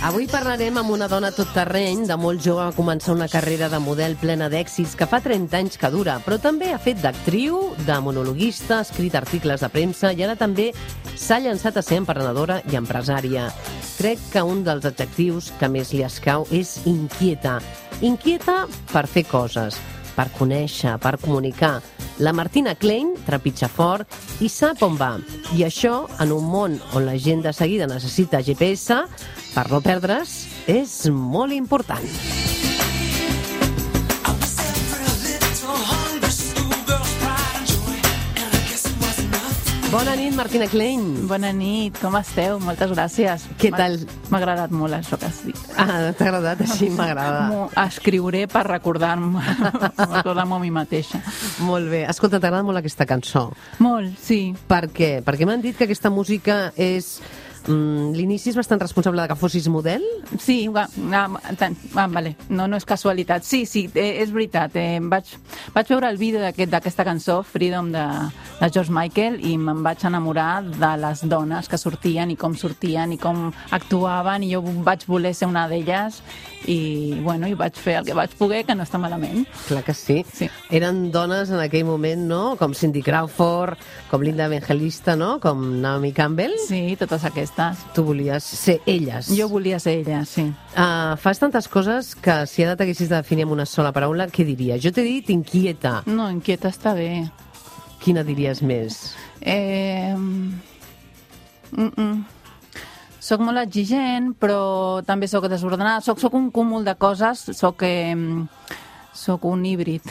Avui parlarem amb una dona tot terreny, de molt jove va començar una carrera de model plena d'èxits que fa 30 anys que dura, però també ha fet d'actriu, de monologuista, ha escrit articles de premsa i ara també s'ha llançat a ser emprenedora i empresària. Crec que un dels adjectius que més li escau és inquieta. Inquieta per fer coses, per conèixer, per comunicar. La Martina Klein trepitja fort i sap on va. I això, en un món on la gent de seguida necessita GPS, per no perdre's, és molt important. Bona nit, Martina Klein. Bona nit, com esteu? Moltes gràcies. Què tal? M'ha agradat molt això que has dit. Ah, t'ha agradat? Així m'agrada. M'ho escriuré per recordar-me a mi mateixa. Molt bé. Escolta, t'agrada molt aquesta cançó? Molt, sí. Per què? Perquè m'han dit que aquesta música és... l'inici és bastant responsable de que fossis model? Sí, vale. No és casualitat. Sí, és veritat. Vaig veure el vídeo d'aquesta cançó, Freedom, de George Michael, i me'n vaig enamorar de les dones que sortien i com actuaven, i jo vaig voler ser una d'elles, i vaig fer el que vaig poder, que no està malament. Clar que sí. Eren dones en aquell moment, no? Com Cindy Crawford, com Linda Evangelista, no? Com Naomi Campbell. Sí, totes aquestes. Tu volies ser elles. Jo volia ser elles, sí. Fas tantes coses que si ara t'haguessis de definir amb una sola paraula, què diries? Jo t'he dit inquieta. No, inquieta està bé. Quina diries més? Soc molt exigent, però també soc desordenada. Soc un cúmul de coses. Soc un híbrid.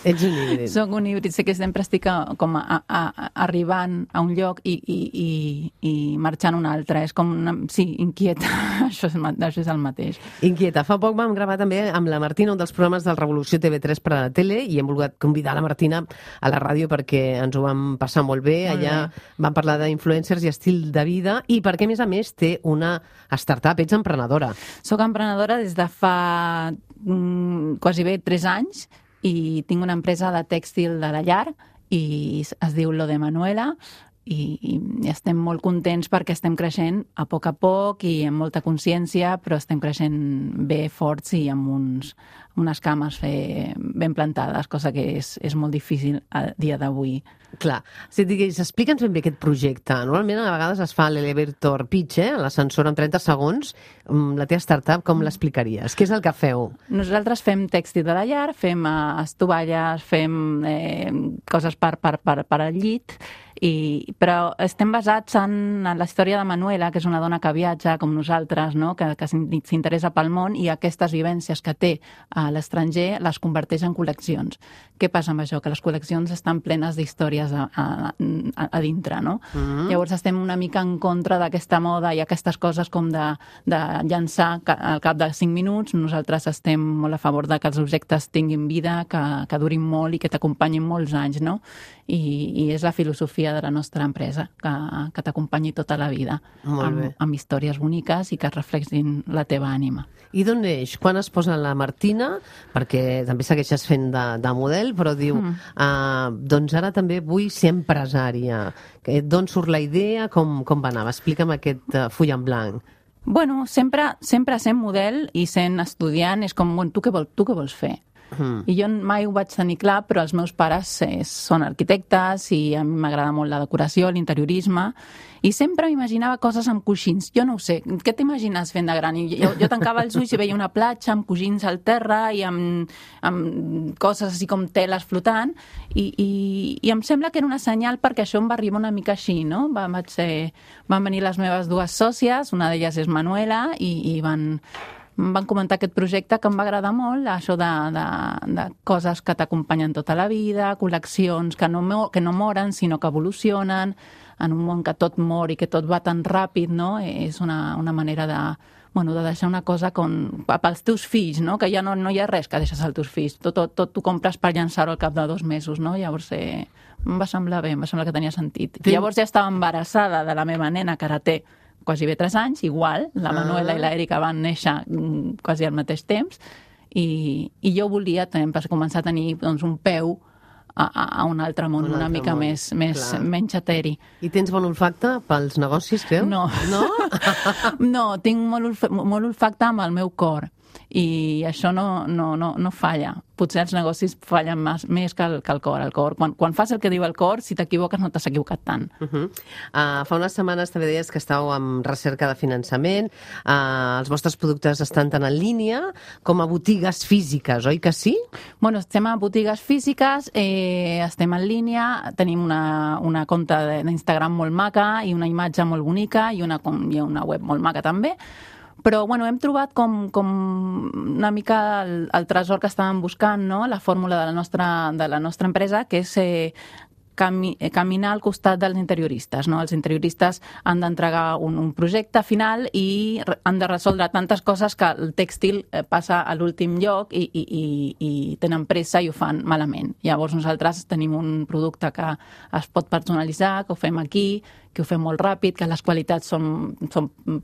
Ets un híbrid. Soc un híbrid. Sé que sempre estic com arribant a un lloc i marxant a un altre. És com inquieta. Això és el mateix. Inquieta. Fa poc vam gravar també amb la Martina un dels programes del Revolució TV3 per a la tele i hem volgut convidar la Martina a la ràdio perquè ens ho vam passar molt bé. Allà vam parlar d'influencers i estil de vida i perquè, a més, té una startup. Ets emprenedora. Soc emprenedora des de fa quasi bé 3 anys i tinc una empresa de tèxtil de la llar i es diu Lo de Manuela i estem molt contents perquè estem creixent a poc i amb molta consciència, però estem creixent bé, forts i amb unes cames ben plantades, cosa que és molt difícil a dia d'avui. Clar. Si et digués, explica'ns ben bé aquest projecte. Normalment a vegades es fa l'elevator pitch, l'ascensor en 30 segons. La teva startup, com l'explicaries? Què és el que feu? Nosaltres fem tèxtil de la llar, fem estovalles, fem coses per al llit, però estem basats en la història de Manuela, que és una dona que viatja com nosaltres, no? que s'interessa pel món i aquestes vivències que té a l'estranger les converteix en col·leccions. Què passa amb això? Que les col·leccions estan plenes d'històries a dintre, no? Llavors estem una mica en contra d'aquesta moda i aquestes coses com de llançar al cap de 5 minuts. Nosaltres estem molt a favor de que els objectes tinguin vida, que durin molt i que t'acompanyin molts anys, no? I és la filosofia de la nostra empresa, que t'acompanyi tota la vida amb històries boniques i que reflexin la teva ànima. I d'on neix? Quan es posa la Martina? Perquè també segueixes fent de model, però diu, doncs ara també vull ser empresària. D'on surt la idea? Com va anar? Explica'm aquest full en blanc. Bueno, sempre sent model i sent estudiant és com, tu què vols fer? I jo mai ho vaig tenir clar, però els meus pares són arquitectes i a mi m'agrada molt la decoració, l'interiorisme, i sempre m'imaginava coses amb coixins. Jo no ho sé, què t'imagines fent de gran? Jo tancava els ulls i veia una platja amb coixins al terra i amb coses així com teles flotant i em sembla que era una senyal perquè això em va arribar una mica així, no? Van venir les meves 2 sòcies, una d'elles és Manuela, i van comentar aquest projecte que em va agradar molt, això de coses que t'acompanyen tota la vida, col·leccions que no moren, sinó que evolucionen, en un món que tot mor i que tot va tan ràpid, no? És una manera de deixar una cosa pels teus fills, no? Que ja no hi ha res que deixes als teus fills. Tot t'ho compres per llançar-ho al cap de 2 mesos, no? Llavors em va semblar bé, em va semblar que tenia sentit. Llavors ja estava embarassada de la meva nena, que ara té quasi bé 3 anys, igual, la Manuela i l'Èrica van néixer quasi al mateix temps, i jo volia començar a tenir un peu a un altre món, una mica menys eteri. I tens bon olfacte pels negocis, creus? No. No? No, tinc molt olfacte amb el meu cor i això no falla. Potser els negocis fallen més que el cor. El cor, quan fas el que diu el cor, si t'equivoques no t'has equivocat tant. Fa unes setmanes també deies que estàu en recerca de finançament. Els vostres productes estan tant en línia com a botigues físiques, oi que sí? Bueno, estem a botigues físiques, estem en línia, tenim una compte d'Instagram molt maca i una imatge molt bonica i una web molt maca també. Però bueno, hem trobat com una mica el tresor que estàvem buscant, no? La fórmula de la nostra empresa, que és caminar al costat dels interioristes, no? Els interioristes han d'entregar un projecte final i han de resoldre tantes coses que el tèxtil passa a l'últim lloc i tenen pressa i ho fan malament. Llavors nosaltres tenim un producte que es pot personalitzar, que ho fem aquí, que ho fem molt ràpid, que les qualitats són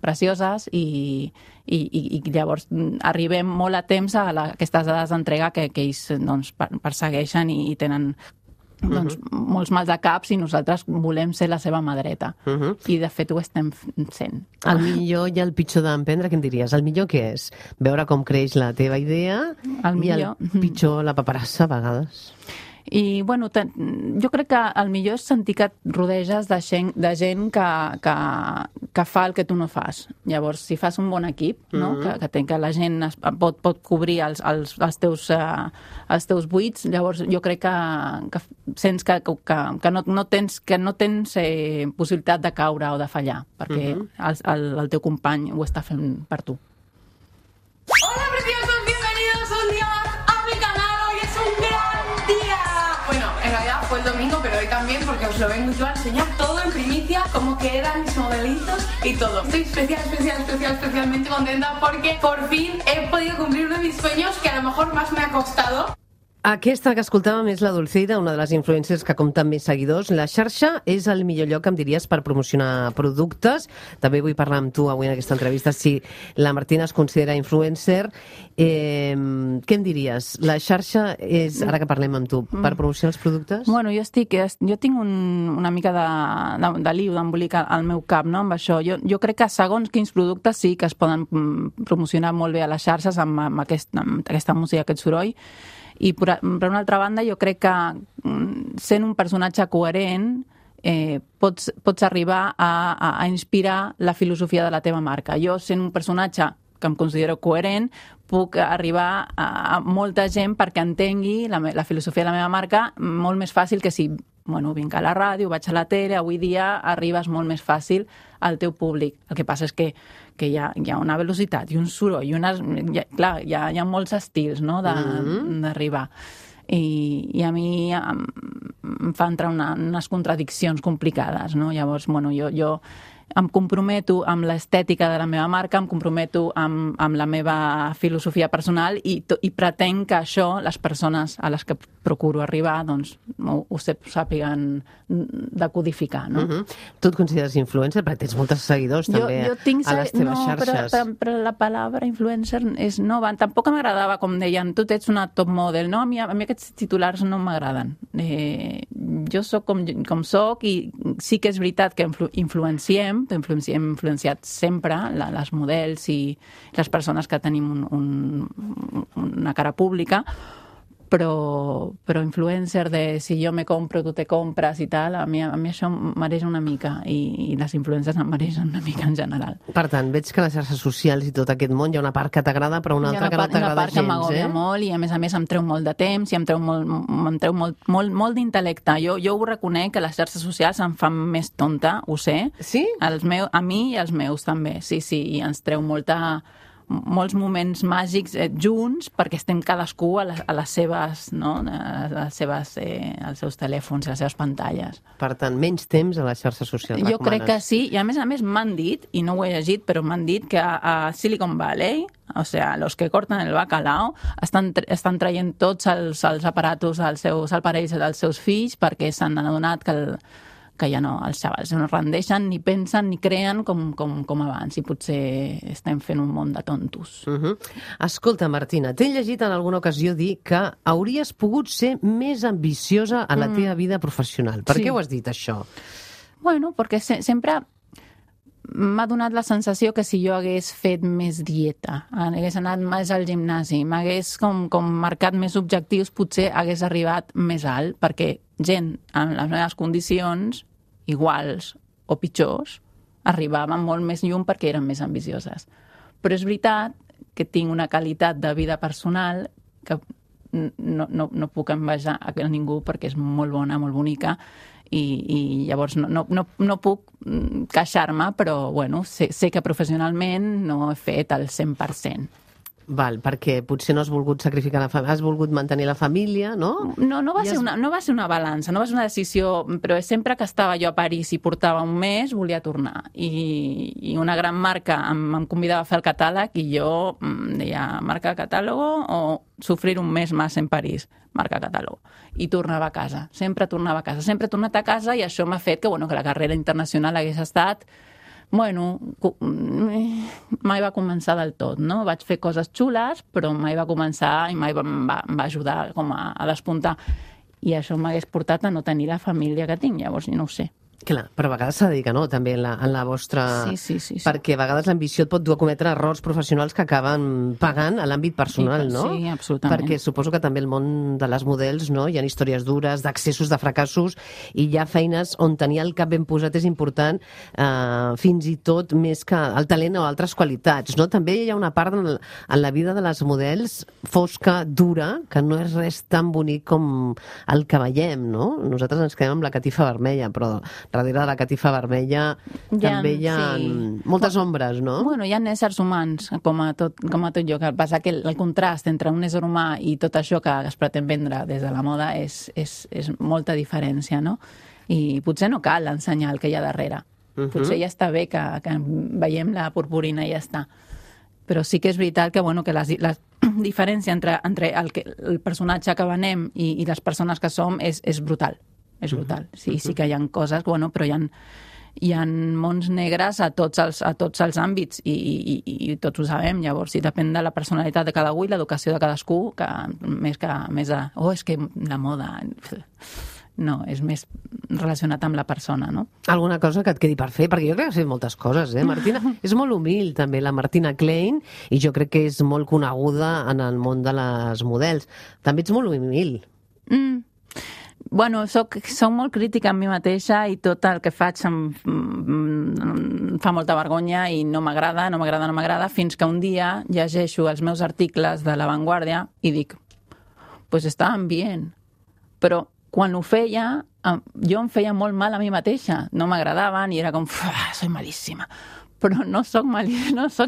precioses i llavors arribem molt a temps a aquestes dades d'entrega que ells persegueixen i tenen molts mal de caps i nosaltres volem ser la seva mà dreta. I de fet ho estem sent. El millor i el pitjor d'emprendre, què en diries? El millor què és? Veure com creix la teva idea i el pitjor la paperassa a vegades. I, bueno, jo crec que el millor és sentir que et rodeges de gent que fa el que tu no fas. Llavors, si fas un bon equip, no? que la gent pot cobrir els teus buits, llavors jo crec que sents que no tens possibilitat de caure o de fallar, perquè el teu company ho està fent per tu. Hola, preciosos, bienvenidos un día más a mi canal. Hoy es un gran día. Bueno, en realidad fue el domingo, pero hoy también, porque os lo vengo yo a enseñar todo en primicia, cómo quedan mis modelitos y todo. Estoy especialmente contenta porque por fin he podido cumplir uno de mis sueños que a lo mejor más me ha costado. Aquesta que escoltàvem és la Dulceida, una de les influencers que compta amb més seguidors. La xarxa és el millor lloc, em diries, per promocionar productes. També vull parlar amb tu avui en aquesta entrevista si la Martina es considera influencer. Què em diries? La xarxa és, ara que parlem amb tu, per promocionar els productes? Bueno, jo tinc una mica de liu, d'embolic al meu cap, no?, amb això. Jo crec que segons quins productes sí que es poden promocionar molt bé a les xarxes amb aquesta música, aquest soroll. I per una altra banda jo crec que sent un personatge coherent pots arribar a inspirar la filosofia de la teva marca. Jo, sent un personatge que em considero coherent, puc arribar a molta gent perquè entengui la filosofia de la meva marca molt més fàcil que si vinc a la ràdio, vaig a la tele, avui dia arribes molt més fàcil al teu públic. El que passa és que hi ha una velocitat i un soroll, clar, hi ha molts estils, no?, d'arribar. I a mi em fa entrar unes contradiccions complicades, no? Llavors, jo em comprometo amb l'estètica de la meva marca, em comprometo amb la meva filosofia personal i pretenc que això, les persones a les que procuro arribar, doncs ho sàpiguen decodificar, no? Tu et consideres influencer? Perquè tens molts seguidors també a les teves xarxes. Però la paraula influencer és nova. Tampoc m'agradava, com deien, tu ets una top model, no? A mi aquests titulars no m'agraden. Jo soc com soc i sí que és veritat que influenciem, hem influenciat sempre les models i les persones que tenim una cara pública, però influencer de si jo me compro, tu te compres i tal, a mi això m'areja una mica i les influencers em maregen una mica en general. Per tant, veig que a les xarxes socials i tot aquest món hi ha una part que t'agrada però una altra que no t'agrada gens, Hi ha una part que m'agòbia molt i a més em treu molt de temps i em treu molt d'intel·lecte. Jo ho reconec que les xarxes socials em fan més tonta, ho sé. Sí? A mi i als meus també, sí, i ens treu molts moments màgics junts perquè estem cadascú a les seves, no? als seus telèfons, a les seves pantalles. Per tant, menys temps a les xarxes socials. Jo crec que sí, i a més m'han dit, i no ho he llegit, però m'han dit que a Silicon Valley, o sea, los que cortan el bacalao, estan traient tots els aparatos, els aparells dels seus fills perquè s'han adonat que ja no, els xavals no rendeixen, ni pensen, ni creen com abans, i potser estem fent un món de tontos. Escolta, Martina, t'he llegit en alguna ocasió dir que hauries pogut ser més ambiciosa a la teva vida professional. Per què ho has dit, això? Bueno, perquè sempre m'ha donat la sensació que si jo hagués fet més dieta, hagués anat més al gimnasi, m'hagués com marcat més objectius, potser hagués arribat més alt, perquè gent amb les meves condicions, iguals o pitjors, arribaven molt més llum perquè eren més ambicioses. Però és veritat que tinc una qualitat de vida personal que no puc envejar a ningú perquè és molt bona, molt bonica, i llavors no puc queixar-me, però bueno, sé que professionalment no he fet el 100%. Val, perquè potser no has volgut sacrificar la família, has volgut mantenir la família, no? No va ser una balança, no va ser una decisió, però sempre que estava jo a París i portava un mes, volia tornar. I una gran marca em convidava a fer el catàleg i jo deia, marca catàlogo o sufrir un mes més en París, marca catàlogo. I tornava a casa, sempre tornava a casa. Sempre he tornat a casa i això m'ha fet que la carrera internacional hagués estat... Bueno, mai va començar del tot, no? Vaig fer coses xules, però mai va començar i mai em va ajudar com a despuntar. I això m'hagués portat a no tenir la família que tinc, llavors no ho sé. Clar, però a vegades s'ha de dir que no, també en la vostra... Sí. Perquè a vegades l'ambició et pot dur a cometre errors professionals que acaben pagant a l'àmbit personal, no? Sí, absolutament. Perquè suposo que també el món de les models, no? Hi ha històries dures, d'accessos, de fracassos, i hi ha feines on tenir el cap ben posat és important, fins i tot més que el talent o altres qualitats, no? També hi ha una part en la vida de les models fosca, dura, que no és res tan bonic com el que veiem, no? Nosaltres ens quedem amb la catifa vermella, però darrere de la catifa vermella també hi ha moltes ombres, no? Bueno, hi ha éssers humans, com a tot jo, que passa que el contrast entre un ésser humà i tot això que es pretén vendre des de la moda és molta diferència, no? I potser no cal ensenyar el que hi ha darrere. Potser ja està bé que veiem la purpurina i ja està. Però sí que és veritat que la diferència entre el personatge que venem i les persones que som és brutal. És brutal. Sí que hi ha coses, però hi ha mons negres a tots els àmbits i tots ho sabem. Llavors, sí, depèn de la personalitat de cada i l'educació de cadascú, que més de... és que la moda... No, és més relacionat amb la persona, no? Alguna cosa que et quedi per fer? Perquè jo crec que has fet moltes coses, Martina? És molt humil, també, la Martina Klein, i jo crec que és molt coneguda en el món de les models. També ets molt humil. Bueno, soc molt crítica amb mi mateixa i tot el que faig em fa molta vergonya i no m'agrada, fins que un dia llegeixo els meus articles de La Vanguardia i dic, pues estaven bien, però quan ho feia, jo em feia molt mal a mi mateixa, no m'agradaven i era com, soy malíssima. Però no soc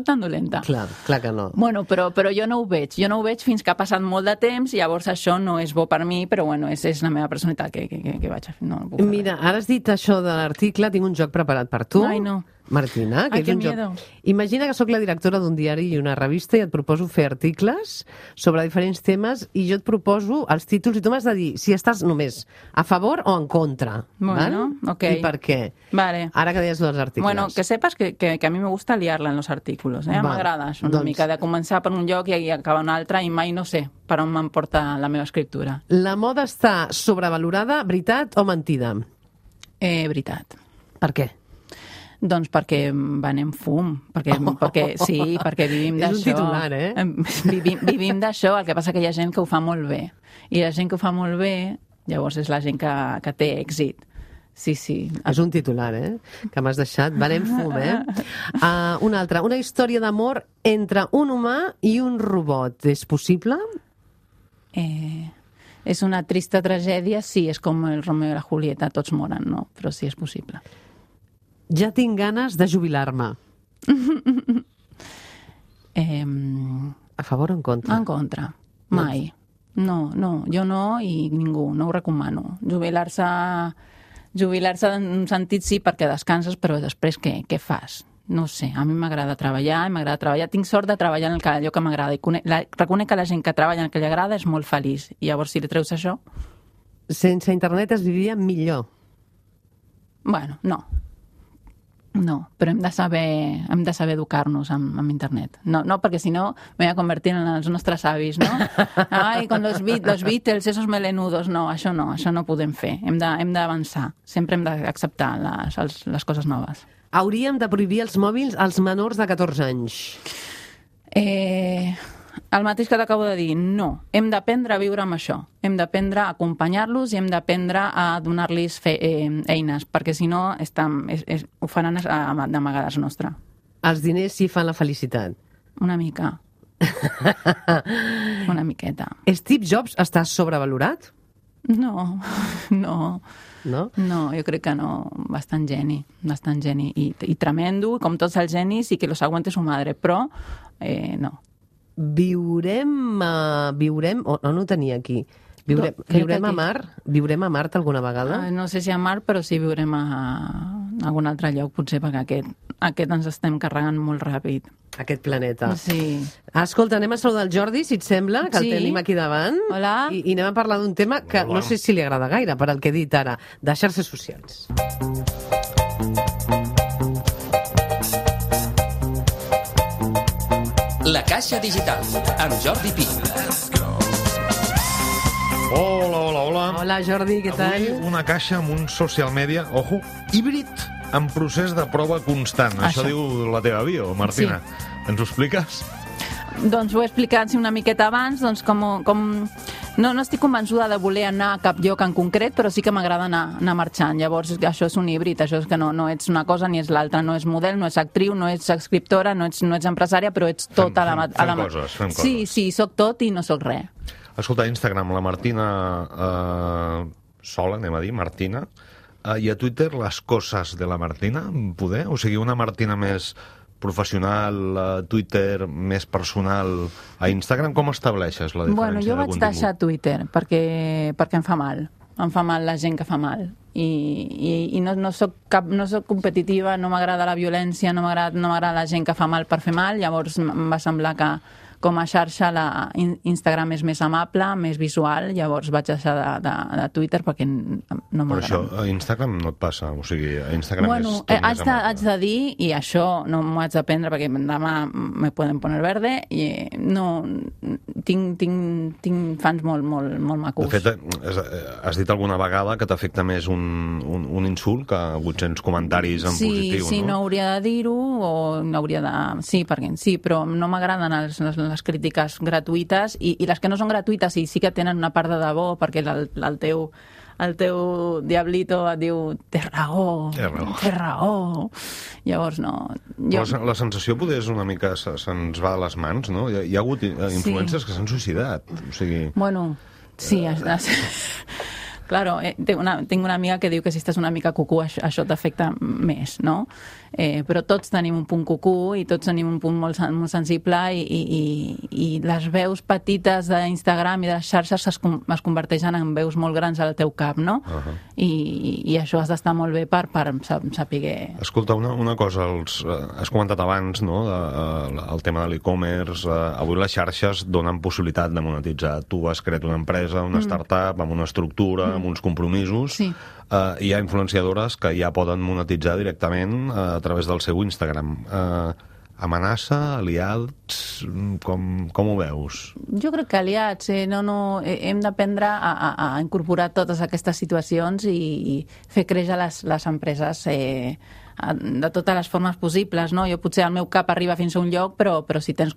tan dolenta. Clar que no. Bueno, però jo no ho veig fins que ha passat molt de temps i llavors això no és bo per mi, però bueno, és la meva personalitat que vaig a fer. No puc fer. Mira, ara has dit això de l'article, tinc un joc preparat per tu. Ai, no. Martina, que és un joc. Imagina que sóc la directora d'un diari i una revista i et proposo fer articles sobre diferents temes i jo et proposo els títols i tu m'has de dir si estàs només a favor o en contra. Bueno, ok. I per què? Vale. Ara que deies dels articles. Bueno, que sepas que a mi me gusta liarla en los artículos. M'agrada això una mica, de començar per un lloc i acabar un altre i mai no sé per on m'emporta la meva escriptura. La moda està sobrevalorada, veritat o mentida? Veritat. Per què? Doncs perquè venem fum, perquè vivim d'això. És un titular, Vivim d'això, el que passa que hi ha gent que ho fa molt bé. I la gent que ho fa molt bé, llavors és la gent que té èxit. Sí. És un titular, que m'has deixat. Venem fum, Una altra. Una història d'amor entre un humà i un robot. És possible? És una trista tragèdia, sí, és com el Romeo i la Julieta, tots moren, no? Però sí, és possible. Ja tinc ganes de jubilar-me. A favor o en contra? En contra. Mai. No, jo no i ningú, no ho recomano. Jubilar-se en un sentit sí perquè descanses, però després què fas? No sé, a mi m'agrada treballar, tinc sort de treballar en allò que m'agrada i reconec que la gent que treballa en el que li agrada és molt feliç i llavors si li treus això... Sense internet es vivia millor. Bueno, no, però hem de saber educar-nos amb internet. No, perquè si no me voy a convertir en els nostres avis, no? Ai, con los Beatles, esos melenudos. No, això no podem fer. Hem d'avançar. Sempre hem d'acceptar les coses noves. Hauríem de prohibir els mòbils als menors de 14 anys. El mateix que t'acabo de dir, no. Hem d'aprendre a viure amb això. Hem d'aprendre a acompanyar-los i hem d'aprendre a donar-los eines, perquè si no ho faran d'amagades nostra. Els diners sí fan la felicitat. Una mica. Una miqueta. Steve Jobs està sobrevalorat? No. No? No, jo crec que no. Bastant geni. I tremendo, com tots els genis, i que los aguante su madre, però no. Viurem no ho tenia aquí. Viurem a Mart alguna vegada? No sé si a Mart, però sí viurem a algun altre lloc, potser, perquè aquest ens estem carregant molt ràpid. Aquest planeta. Sí. Escolta, anem a saludar el Jordi, si et sembla, que el tenim aquí davant. Hola. I anem a parlar d'un tema que no sé si li agrada gaire, per al que he dit ara, de xarxes socials. La Caixa Digital, amb Jordi Pi. Hola. Hola, Jordi, què tal? Avui una caixa amb un social media, ojo, híbrid, en procés de prova constant. Això diu la teva bio, Martina. Sí. Ens ho expliques? Doncs ho he explicat una miqueta abans, doncs com... No estic convençuda de voler anar a cap lloc en concret, però sí que m'agrada anar marxant. Llavors, això és un híbrid, això és que no ets una cosa ni és l'altra. No és model, no ets actriu, no ets escriptora, no ets empresària, però ets tot a la... Fem coses. Sí, soc tot i no soc res. Escolta, a Instagram, la Martina sola, anem a dir, Martina, i a Twitter, les coses de la Martina, poder? O sigui, una Martina més professional, a Twitter, més personal, a Instagram, com estableixes la diferència de contingut? Bueno, jo vaig deixar Twitter perquè em fa mal. Em fa mal la gent que fa mal. I no soc competitiva, no m'agrada la violència, no m'agrada la gent que fa mal per fer mal, llavors em va semblar que com a xarxa Instagram és més amable, més visual, llavors vaig deixar de Twitter perquè no m'agrada. Però això a Instagram no et passa? O sigui, a Instagram és tot més amable. Haig de dir, i això no m'ho haig d'aprendre perquè demà me poden poner verde, i no... Tinc fans molt macos. De fet, has dit alguna vegada que t'afecta més un insult que 800 comentaris en positiu, no? Sí, no hauria de dir-ho, o no hauria de... Sí, perquè sí, però no m'agraden les crítiques gratuïtes, i les que no són gratuïtes i sí que tenen una part de debò, perquè el teu diablito et diu té raó. Llavors no. La sensació poder és una mica se'ns va de les mans, no? Hi ha hagut influències que s'han suïcidat. O sigui... Bueno, sí. Claro, tinc una amiga que diu que si estàs una mica cucú això t'afecta més, no? Però tots tenim un punt cucú i tots tenim un punt molt sensible, i les veus petites d'Instagram i de les xarxes es converteixen en veus molt grans al teu cap, no? I això has d'estar molt bé per saber... Escolta, una cosa, has comentat abans, no?, el tema de l'e-commerce. Avui les xarxes donen possibilitat de monetitzar. Tu has creat una empresa, una startup, amb una estructura, amb uns compromisos. Sí. Hi ha influenciadores que ja poden monetitzar directament a través del seu Instagram. Amenaça, aliats, com ho veus? Jo crec que aliats, hem d'aprendre a incorporar totes aquestes situacions i fer créixer les empreses de totes les formes possibles, no? Jo potser el meu cap arriba fins a un lloc, però si tens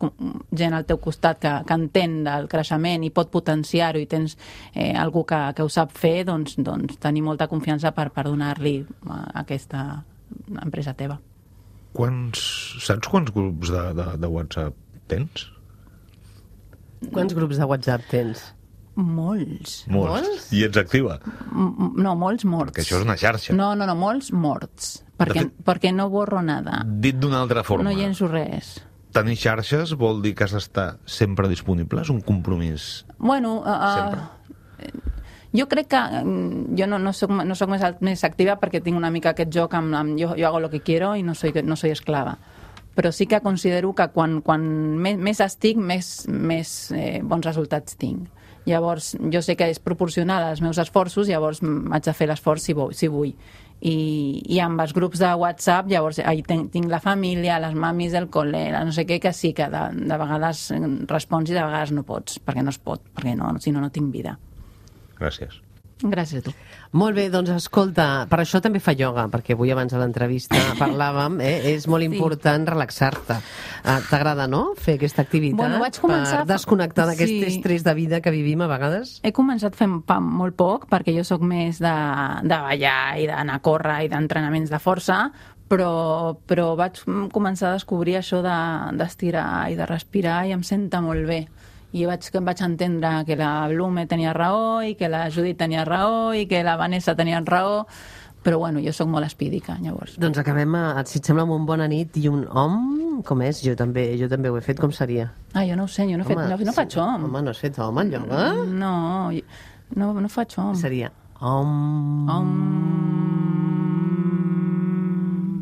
gent al teu costat que entén del creixement i pot potenciar-ho, i tens algú que ho sap fer, doncs tenir molta confiança per donar-li a aquesta empresa teva. Saps quants grups de WhatsApp tens? Quants grups de WhatsApp tens? Molts. I ets activa? No, molts morts. Perquè això és una xarxa. No, molts morts. Perquè no borro nada. Dit d'una altra forma. No llenço res. Tenir xarxes vol dir que has d'estar sempre disponible? És un compromís? Bueno, jo crec que jo no soc més activa perquè tinc una mica aquest joc amb jo hago lo que quiero i no soy esclava. Però sí que considero que quan més estic, més bons resultats tinc. Llavors, jo sé que és proporcional als meus esforços, llavors haig de fer l'esforç si vull. I amb els grups de WhatsApp, llavors tinc la família, les mamis del col·le, no sé què, que sí, que de vegades respons i de vegades no pots, perquè no es pot, perquè si no tinc vida. Gràcies. Gràcies a tu. Molt bé, doncs escolta, per això també fa ioga, perquè avui abans de l'entrevista parlàvem, és molt important relaxar-te. T'agrada, no?, fer aquesta activitat vaig començar per desconnectar d'aquest estrès de vida que vivim a vegades? He començat fent molt poc, perquè jo sóc més de ballar i d'anar a córrer i d'entrenaments de força, però vaig començar a descobrir això d'estirar i de respirar i em senta molt bé. I vaig entendre que la Blume tenia raó i que la Judit tenia raó i que la Vanessa tenia raó, però bueno, jo sóc molt espídica, llavors. Doncs acabem, si et sembla, amb un bona nit i un om, com és? Jo també ho he fet, com seria? Jo no ho sé, jo no faig om. Home, no has fet om en ioga? No faig om. Seria om...